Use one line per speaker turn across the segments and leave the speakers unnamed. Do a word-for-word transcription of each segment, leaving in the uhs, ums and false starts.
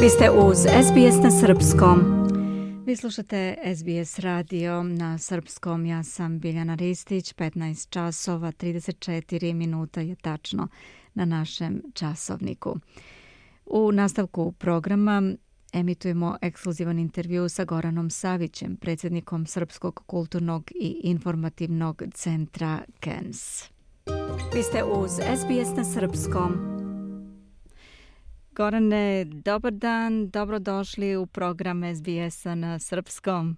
Vi ste uz S B S na srpskom. Vi slušate S B S radio na srpskom. Ja sam Biljana Ristić. petnaest časova trideset četiri minuta je tačno na našem časovniku. U nastavku programa emitujemo ekskluzivan intervju sa Goranom Savićem, predsjednikom Srpskog kulturnog i informativnog centra K E N S. Vi ste uz S B S na srpskom. Gorane, dobar dan, dobrodošli u program S B S-a na srpskom.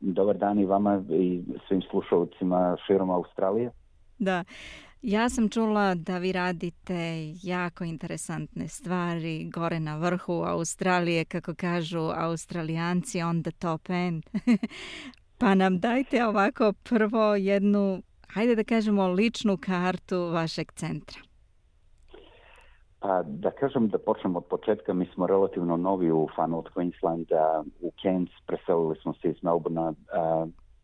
Dobar dan i vama i svim slušalcima širom Australije.
Da, ja sam čula da vi radite jako interesantne stvari gore na vrhu Australije, kako kažu Australijanci on the top end. Pa nam dajte ovako prvo jednu, hajde da kažemo, ličnu kartu vašeg centra.
Pa da kažem da počnemo od početka, mi smo relativno novi u Far North Queensland, u Cairns, preselili smo se iz Melbourna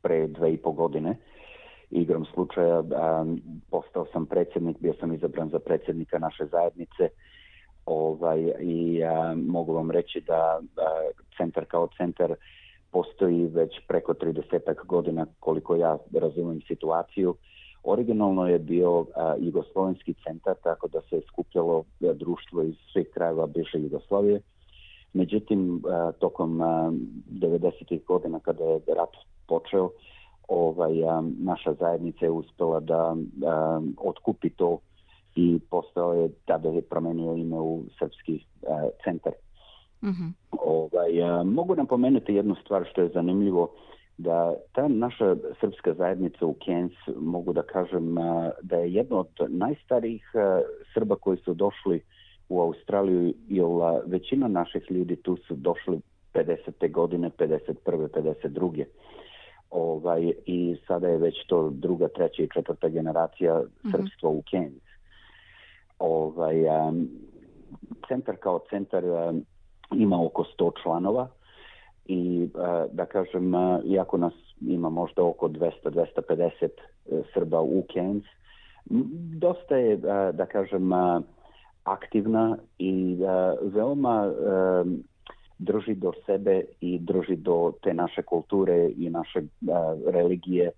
pre dve i po godine. Igrom slučaja postao sam predsjednik, bio sam izabran za predsjednika naše zajednice ovaj, i a, mogu vam reći da a, centar kao centar postoji već preko tridesetak godina koliko ja razumijem situaciju. Originalno je bio uh, jugoslovenski centar, tako da se je skupljalo uh, društvo iz svih krajeva bivše Jugoslavije. Međutim, uh, tokom uh, devedesetih godina kada je rat počeo, ovaj, um, naša zajednica je uspjela da um, otkupi to i postao je, tada je promenio ime u Srpski uh, centar. Mm-hmm. Ovaj, uh, mogu napomenuti jednu stvar što je zanimljivo, da ta naša srpska zajednica u Cairns, mogu da kažem da je jedna od najstarijih Srba koji su došli u Australiju, jer većina naših ljudi tu su došli pedesete godine, pedeset prve, pedeset druge Ovaj, i sada je već to druga, treća i četvrta generacija mm-hmm. srpstva u Cairns. Ovaj, um, centar kao centar um, ima oko sto članova. I da kažem, iako nas ima možda oko dvesta do dvesta pedeset Srba u Cairns, dosta je, da kažem, aktivna i veoma drži do sebe i drži do te naše kulture i naše religije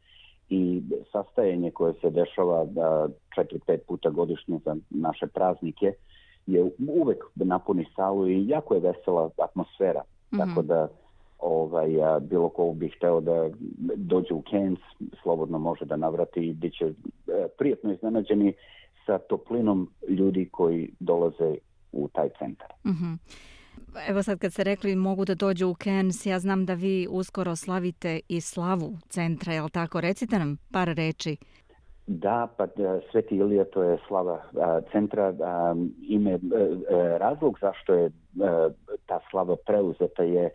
i sastajanje koje se dešava četiri pet puta godišnje za naše praznike je uvek napuni salu i jako je vesela atmosfera. Mm-hmm. Tako da Ovaj, a, bilo ko bih hteo da dođe u Cairns, slobodno može da navrati i bit će e, prijatno iznenađeni sa toplinom ljudi koji dolaze u taj centar.
Mm-hmm. Evo sad kad ste rekli mogu da dođu u Cairns, ja znam da vi uskoro slavite i slavu centra, je li tako? Recite nam par reči.
Da, pa Sveti Ilija, to je slava a, centra. A, ime, a, razlog zašto je a, ta slava preuzeta je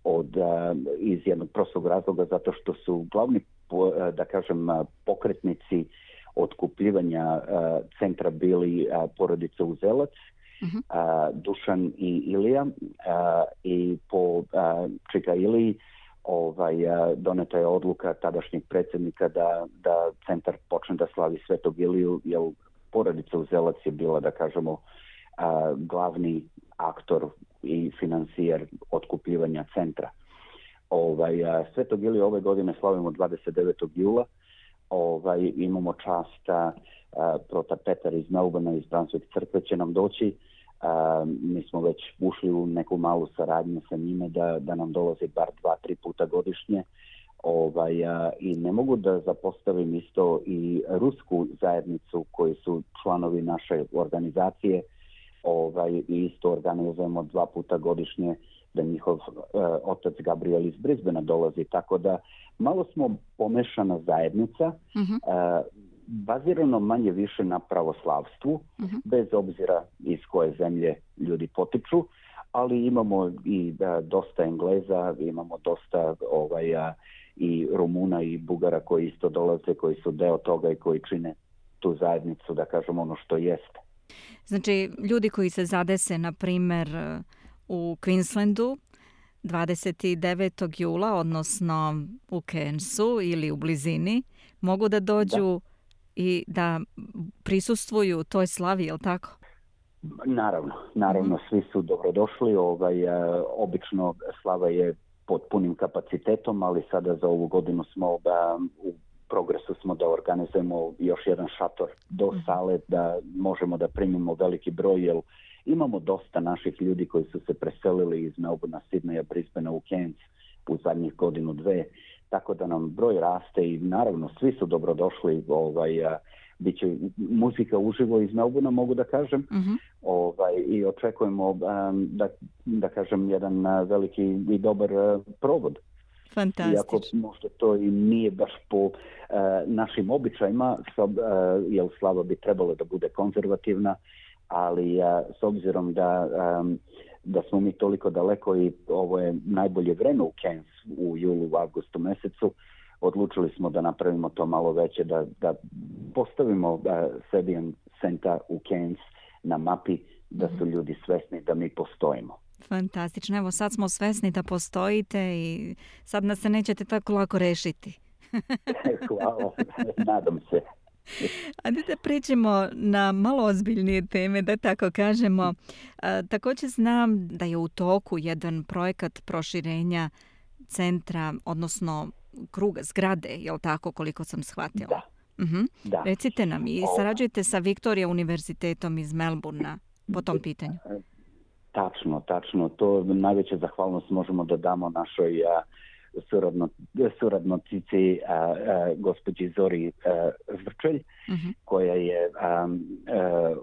od, uh, iz jednog prostog razloga, zato što su glavni, po, uh, da kažem, uh, pokretnici otkupljivanja uh, centra bili uh, porodica Uzelac, uh-huh. uh, Dušan i Ilija uh, i po uh, čika Iliji ovaj, uh, doneta je odluka tadašnjeg predsjednika da, da centar počne da slavi Svetog Iliju, jer porodica Uzelac je bila, da kažemo, uh, glavni aktor i financijer otkupljivanja centra. Ovaj, Svetog Iliju ove godine slavimo dvadeset devetog jula Ovaj, imamo čast a, prota Petar iz Melbourna, iz Brunswick crkve će nam doći. A, mi smo već ušli u neku malu saradnju sa njime da, da nam dolazi bar dva, tri puta godišnje. Ovaj, a, I ne mogu da zapostavim isto i rusku zajednicu koji su članovi naše organizacije. Ovaj, i isto organizujemo dva puta godišnje da njihov uh, otac Gabriel iz Brisbanea dolazi, tako da malo smo pomešana zajednica, uh-huh. uh, bazirano manje više na pravoslavstvu, uh-huh. bez obzira iz koje zemlje ljudi potiču, ali imamo i uh, dosta Engleza, imamo dosta ovaj, uh, i Rumuna i Bugara koji isto dolaze, koji su deo toga i koji čine tu zajednicu, da kažem ono što jeste.
Znači, ljudi koji se zadese, na primjer, u Queenslandu dvadeset devetog jula, odnosno u Cairnsu ili u blizini, mogu da dođu da. I da prisustvuju toj slavi, je li tako?
Naravno, naravno, svi su dobrodošli. Ovaj, obično slava je pod punim kapacitetom, ali sada za ovu godinu smo da, u progresu smo da organizujemo još jedan šator do sale, da možemo da primimo veliki broj, jer imamo dosta naših ljudi koji su se preselili iz Melbourna, Sidneja, Brisbanea u Cairns u zadnjih godinu, dve, tako da nam broj raste i naravno svi su dobrodošli. Ovaj, biće muzika uživo iz Melbourna, mogu da kažem, uh-huh. ovaj, i očekujemo um, da, da kažem jedan uh, veliki i dobar uh, provod.
Fantastično.
Iako možda to i nije baš po uh, našim običajima, uh, jer slava bi trebalo da bude konzervativna, ali uh, s obzirom da, um, da smo mi toliko daleko i ovo je najbolje vreme u Cairns u julu, u avgustu mesecu, odlučili smo da napravimo to malo veće, da, da postavimo uh, Serbian Center u Cairns na mapi, da su ljudi svesni da mi postojimo.
Fantastično. Evo sad smo svesni da postojite i sad nas se nećete tako lako rešiti.
Hvala, nadam se.
Ajde da pređemo na malo ozbiljnije teme, da tako kažemo. A, također znam da je u toku jedan projekat proširenja centra, odnosno kruga zgrade, je li tako, koliko sam shvatila?
Da.
Uh-huh.
Da.
Recite nam, i sarađujete sa Victoria univerzitetom iz Melbourna po tom pitanju?
Tačno, tačno. To najveća zahvalnost možemo da damo našoj a, suradno, suradnocici a, a, gospođi Zori a, Zrčelj, uh-huh. koja je, a, a,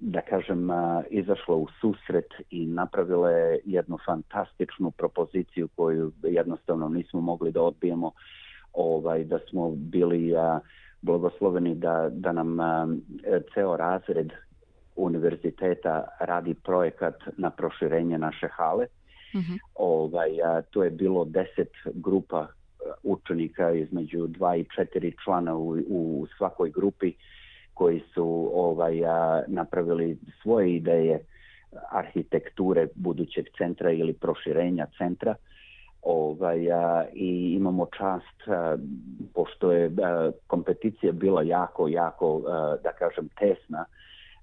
da kažem, a, izašla u susret i napravila je jednu fantastičnu propoziciju koju jednostavno nismo mogli da odbijemo, ovaj, da smo bili a, blagosloveni da, da nam a, ceo razred univerziteta radi projekat na proširenje naše hale. Uh-huh. Ovaj, a, to je bilo deset grupa učenika između dva i četiri člana u, u svakoj grupi koji su ovaj, a, napravili svoje ideje arhitekture budućeg centra ili proširenja centra. Ovaj, a, i imamo čast, a, pošto je a, kompeticija bila jako, jako, a, da kažem, tesna,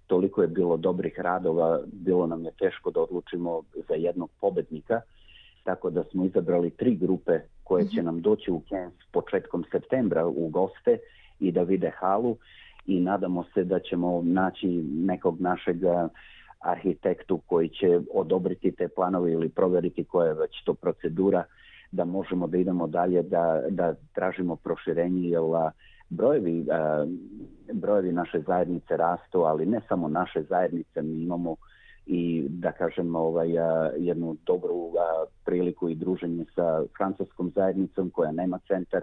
toliko je bilo dobrih radova, bilo nam je teško da odlučimo za jednog pobednika, tako da smo izabrali tri grupe koje će nam doći u Cairns početkom septembra u goste i da vide halu, i nadamo se da ćemo naći nekog našeg arhitektu koji će odobriti te planove ili provjeriti koja je već to procedura, da možemo da idemo dalje, da, da tražimo proširenje, jer brojevi, uh, brojevi naše zajednice rastu, ali ne samo naše zajednice, mi imamo i, da kažem, ovaj, uh, jednu dobru uh, priliku i druženje sa francuskom zajednicom koja nema centar.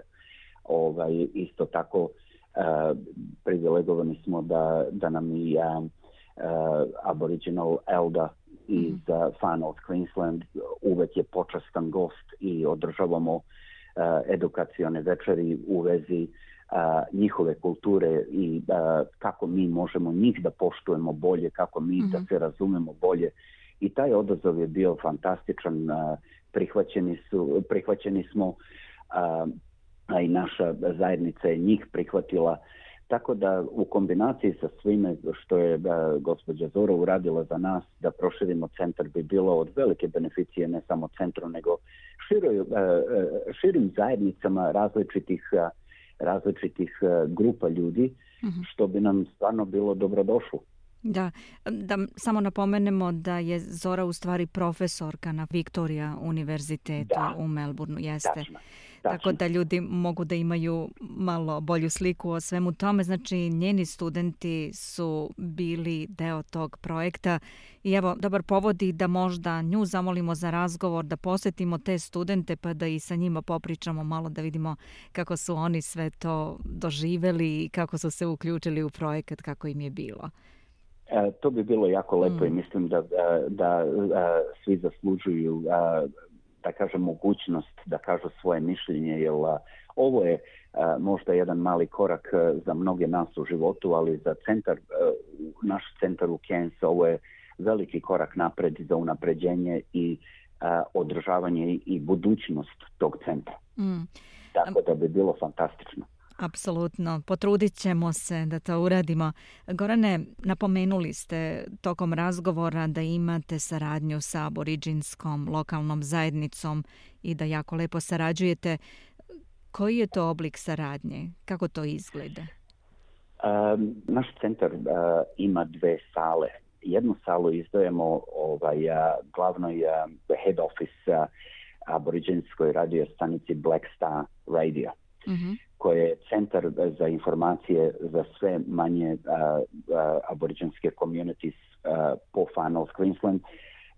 Ovaj, isto tako uh, privilegovani smo da, da nam i uh, uh, Aboriginal Elda iz uh, Far North Queensland uvek je počastan gost i održavamo uh, edukacione večeri u vezi Uh, njihove kulture i uh, kako mi možemo njih da poštujemo bolje, kako mi mm-hmm. da se razumemo bolje. I taj odazav je bio fantastičan. Uh, prihvaćeni, su, prihvaćeni smo, uh, a i naša zajednica je njih prihvatila. Tako da u kombinaciji sa svime što je uh, gospođa Zora uradila za nas, da proširimo centar, bi bilo od velike beneficije ne samo centru, nego široj, uh, širim zajednicama različitih uh, različitih uh, grupa ljudi, uh-huh. što bi nam stvarno bilo dobrodošlo.
Da, da samo napomenemo da je Zora u stvari profesorka na Victoria univerzitetu da. u Melbourneu, jeste.
Tačno,
Tako
tačno.
da ljudi mogu da imaju malo bolju sliku o svemu tome. Znači, njeni studenti su bili deo tog projekta i evo, dobar povod i da možda nju zamolimo za razgovor, da posjetimo te studente pa da i sa njima popričamo malo, da vidimo kako su oni sve to doživeli i kako su se uključili u projekat, kako im je bilo.
E, to bi bilo jako lepo mm. i mislim da, da, da, da svi zaslužuju a, da kažem mogućnost da kažu svoje mišljenje, jer a, ovo je a, možda jedan mali korak a, za mnoge nas u životu, ali za centar, a, naš centar u Cairns, ovo je veliki korak napred za unapređenje i a, održavanje i budućnost tog centra. Mm. Tako da bi bilo fantastično.
Apsolutno, potrudit ćemo se da to uradimo. Gorane, napomenuli ste tokom razgovora da imate saradnju sa aboriđinskom lokalnom zajednicom i da jako lepo sarađujete. Koji je to oblik saradnje? Kako to izgleda?
Um, naš centar uh, ima dve sale. Jednu salu izdajemo ovaj, uh, glavnoj uh, head office uh, aboriđinskoj radio stanici Black Star Radio, mm-hmm. koji je centar za informacije za sve manje uh, uh, aboriđinske communities uh, po Far North Queensland.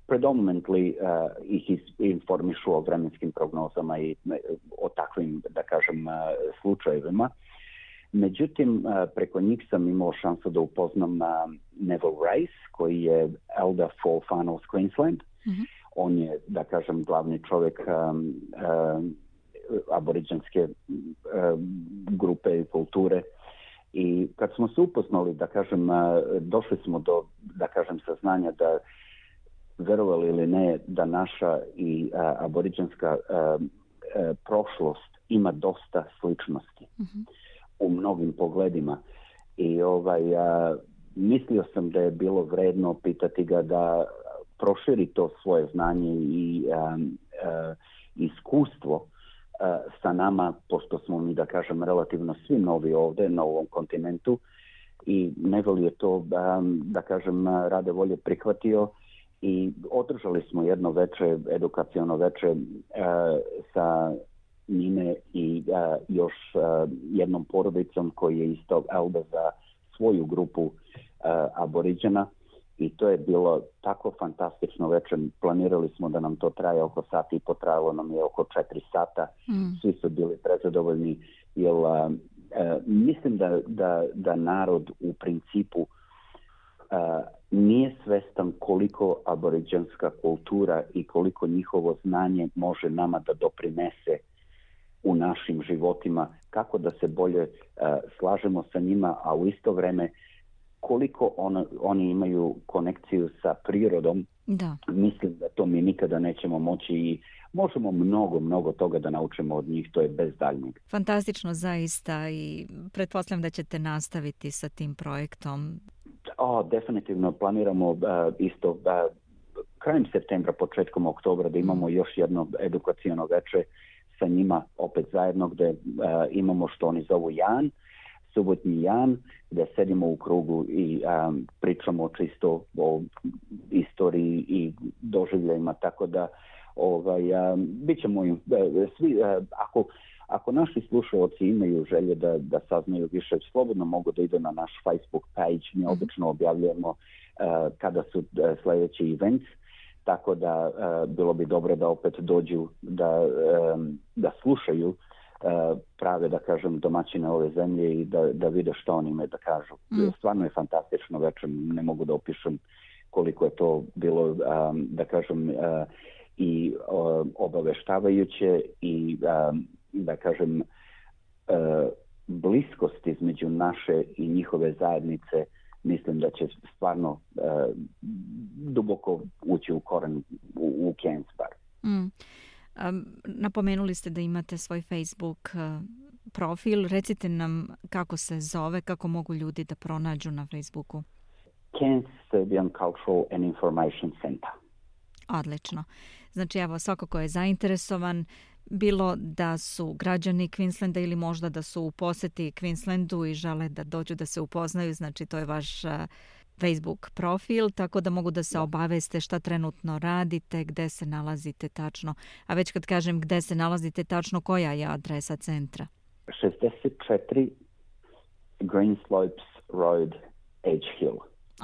Predominantly uh, ih informišu o vremenskim prognozama i o takvim, da kažem, uh, slučajevima. Međutim, uh, preko njih sam imao šansu da upoznam uh, Neville Rice, koji je elder for Far North Queensland. Mm-hmm. On je, da kažem, glavni čovjek um, uh, aboriđanske uh, grupe i kulture. I kad smo se upoznali, da kažem, uh, došli smo do, da kažem, saznanja da, verovali ili ne, da naša i uh, aboriđanska uh, uh, prošlost ima dosta sličnosti mm-hmm. u mnogim pogledima. I ovaj, uh, mislio sam da je bilo vredno pitati ga da proširi to svoje znanje i um, uh, iskustvo uh, sa nama, pošto smo mi, da kažem, relativno svi novi ovdje na ovom kontinentu, i Neville je to, um, da kažem, rade volje prihvatio i održali smo jedno veče, edukaciono veče uh, sa njime i uh, još uh, jednom porodicom koji je isto elder za svoju grupu uh, aboriđana. I to je bilo tako fantastično večer. Planirali smo da nam to traje oko sati i po, trajalo nam je oko četiri sata. Mm. Svi su bili prezadovoljni. Jer, uh, uh, mislim da, da, da narod u principu uh, nije svestan koliko aboriđanska kultura i koliko njihovo znanje može nama da doprinese u našim životima, kako da se bolje uh, slažemo sa njima, a u isto vreme koliko on, oni imaju konekciju sa prirodom. Da. Mislim da to mi nikada nećemo moći i možemo mnogo, mnogo toga da naučimo od njih, to je bez daljnjeg.
Fantastično zaista i pretpostavljam da ćete nastaviti sa tim projektom.
O, definitivno planiramo uh, isto uh, krajem septembra, početkom oktobra da imamo još jedno edukacijono veče sa njima opet zajedno gdje uh, imamo što oni zovu Jan, subotnji Jan, gdje sedimo u krugu i um, pričamo čisto o istoriji i doživljajima, tako da ovaj, um, bit ćemo im, uh, svi, uh, ako, ako naši slušalci imaju želje da, da saznaju više, slobodno mogu da idu na naš Facebook page, mi obično objavljujemo uh, kada su uh, sljedeći events, tako da uh, bilo bi dobro da opet dođu da, um, da slušaju uh, prave, da kažem, domaćine ove zemlje i da, da vide što oni imaju da kažu. Mm. Stvarno je fantastično večer, ne mogu da opišem koliko je to bilo, um, da kažem, uh, i uh, obaveštavajuće i, um, da kažem, uh, bliskost između naše i njihove zajednice. Mislim da će stvarno uh, duboko ući u koren u, u Cairns bar.
Mm. Um, napomenuli ste da imate svoj Facebook uh, profil. Recite nam kako se zove, kako mogu ljudi da pronađu na Facebooku.
Cairns Serbian Cultural and Information Center.
Odlično. Znači, evo, svako ko je zainteresovan, bilo da su građani Queenslanda ili možda da su u poseti Queenslandu i žele da dođu da se upoznaju, znači to je vaš uh, Facebook profil, tako da mogu da se obaveste šta trenutno radite, gde se nalazite tačno. A već kad kažem gde se nalazite tačno, koja je adresa centra?
šezdeset četiri Green Slopes Road, Edge Hill.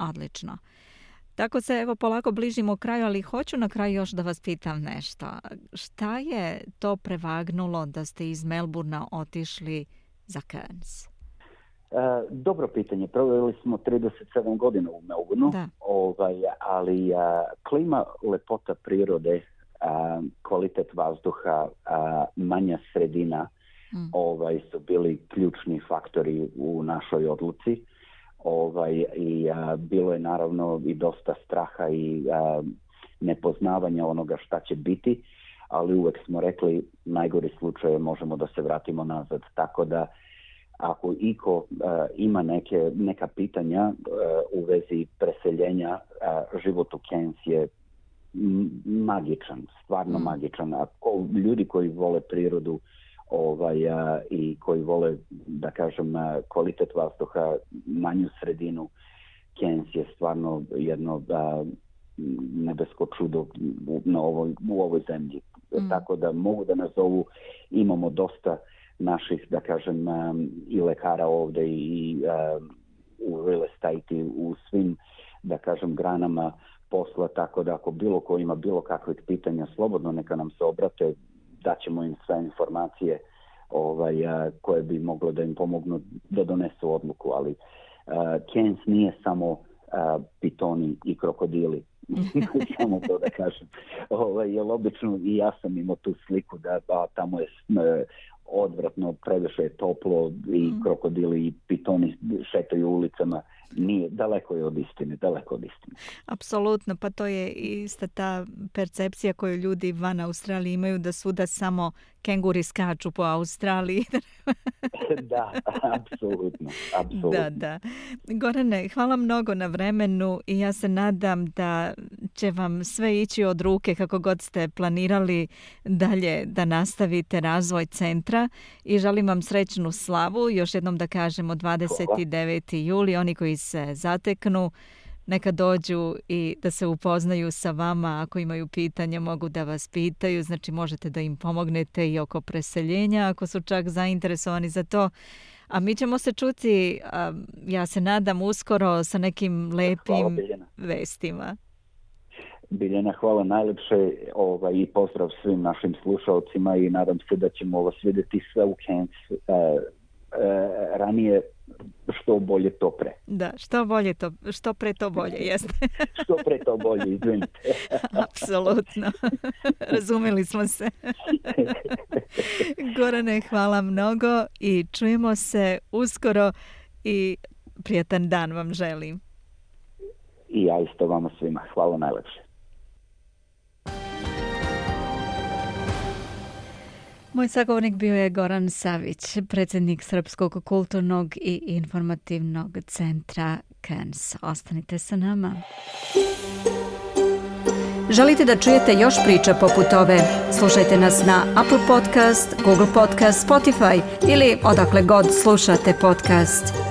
Odlično. Tako se evo polako bližimo kraju, ali hoću na kraju još da vas pitam nešto. Šta je to prevagnulo da ste iz Melbourna otišli za Cairns?
Uh, dobro pitanje. Proveli smo trideset sedam godina u Melbourneu, ovaj, ali uh, klima, lepota prirode, uh, kvalitet vazduha, uh, manja sredina mm. ovaj, su bili ključni faktori u našoj odluci. Ovaj, i a, bilo je naravno i dosta straha i a, nepoznavanja onoga šta će biti, ali uvek smo rekli najgori slučaj možemo da se vratimo nazad, tako da ako iko uh, ima neke, neka pitanja uh, u vezi preseljenja, uh, život u Cairns je magičan, stvarno mm. magičan. A ko, ljudi koji vole prirodu ovaj, a, i koji vole, da kažem, a, kvalitet vazduha, manju sredinu, Cairns je stvarno jedno a, nebesko čudo u, na ovoj, u ovoj zemlji. Mm. Tako da mogu da nazovu, imamo dosta naših, da kažem, a, i lekara ovde i a, u real estate i u svim, da kažem, granama posla, tako da ako bilo ko ima bilo kakvih pitanja, slobodno neka nam se obrate, daćemo im sve informacije ovaj, a, koje bi moglo da im pomognu da donesu odluku, ali uh, Cairns nije samo a, pitoni i krokodili, samo to da kažem. Ovaj, jer obično i ja sam imao tu sliku da a, tamo je uh, odvratno, previše je toplo i mm. krokodili i pitoni šetaju ulicama. Nije, daleko je od istine, daleko od istine.
Apsolutno, pa to je ista ta percepcija koju ljudi van Australije imaju, da svuda samo kenguri skaču po Australiji.
Da, apsolutno, apsolutno.
Da, da. Gorane, hvala mnogo na vremenu i ja se nadam da će vam sve ići od ruke kako god ste planirali dalje da nastavite razvoj centra i želim vam srećnu slavu. Još jednom da kažemo dvadeset deveti juli, oni koji se zateknu, neka dođu i da se upoznaju sa vama. Ako imaju pitanja, mogu da vas pitaju. Znači, možete da im pomognete i oko preseljenja, ako su čak zainteresovani za to. A mi ćemo se čuti, ja se nadam, uskoro sa nekim lepim vestima.
Biljana, hvala najlepše ovaj, i pozdrav svim našim slušalcima i nadam se da ćemo vas vidjeti sve u Cairns uh, uh, ranije, što bolje to pre.
Da, što bolje to, što pre to bolje, jeste.
Što pre to bolje, izvinite.
Apsolutno. Razumeli smo se. Gorane, hvala mnogo i čujemo se uskoro i prijatan dan vam želim.
I ja isto vama svima. Hvala najlepše.
Moj sagovornik bio je Goran Savić, predsjednik Srpskog kulturnog i informativnog centra Cairns. Ostanite sa nama. Želite da čujete još priča poput ove? Slušajte nas na Apple Podcast, Google Podcast, Spotify ili odakle god slušate podcast.